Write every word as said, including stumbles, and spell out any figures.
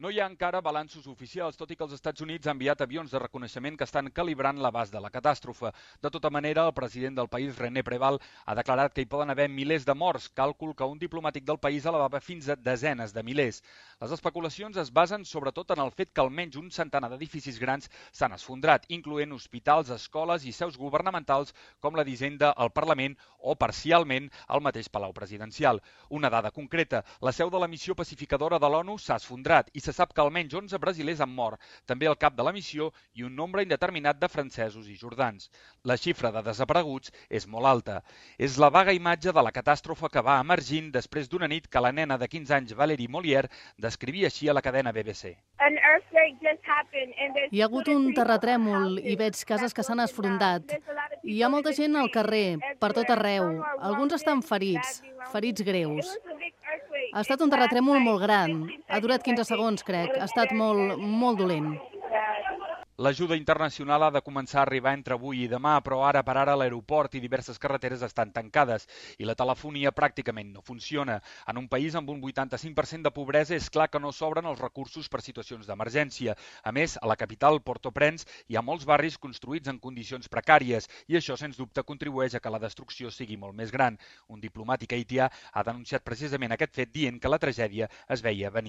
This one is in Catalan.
No hi ha encara balanços oficials, tot i que els Estats Units ha enviat avions de reconeixement que estan calibrant l'abast de la catàstrofe. De tota manera, el president del país, René Preval, ha declarat que hi poden haver milers de morts, càlcul que un diplomàtic del país elevava fins a desenes de milers. Les especulacions es basen sobretot en el fet que almenys un centenar d'edificis grans s'han esfondrat, incloent hospitals, escoles i seus governamentals com la d'Hisenda, el Parlament o, parcialment, el mateix Palau Presidencial. Una dada concreta, la seu de la missió pacificadora de l'ONU s'ha esfondrat i se sap que almenys onze brasilers han mort, també el cap de la missió i un nombre indeterminat de francesos i jordans. La xifra de desapareguts és molt alta. És la vaga imatge de la catàstrofe que va emergint després d'una nit que la nena de quinze anys, Valérie Molière, descrivia així a la cadena B B C. Hi ha hagut un terratrèmol i veig cases que s'han esfrondat. Hi ha molta gent al carrer, per tot arreu. Alguns estan ferits, ferits greus. Ha estat un terratrèmol molt gran. Ha durat quinze segons, crec. Ha estat molt, molt dolent. L'ajuda internacional ha de començar a arribar entre avui i demà, però ara per ara l'aeroport i diverses carreteres estan tancades i la telefonia pràcticament no funciona. En un país amb un vuitanta-cinc per cent de pobresa és clar que no s'obren els recursos per situacions d'emergència. A més, a la capital, Port-au-Prince, hi ha molts barris construïts en condicions precàries i això, sens dubte, contribueix a que la destrucció sigui molt més gran. Un diplomàtic haitià ha denunciat precisament aquest fet dient que la tragèdia es veia venir.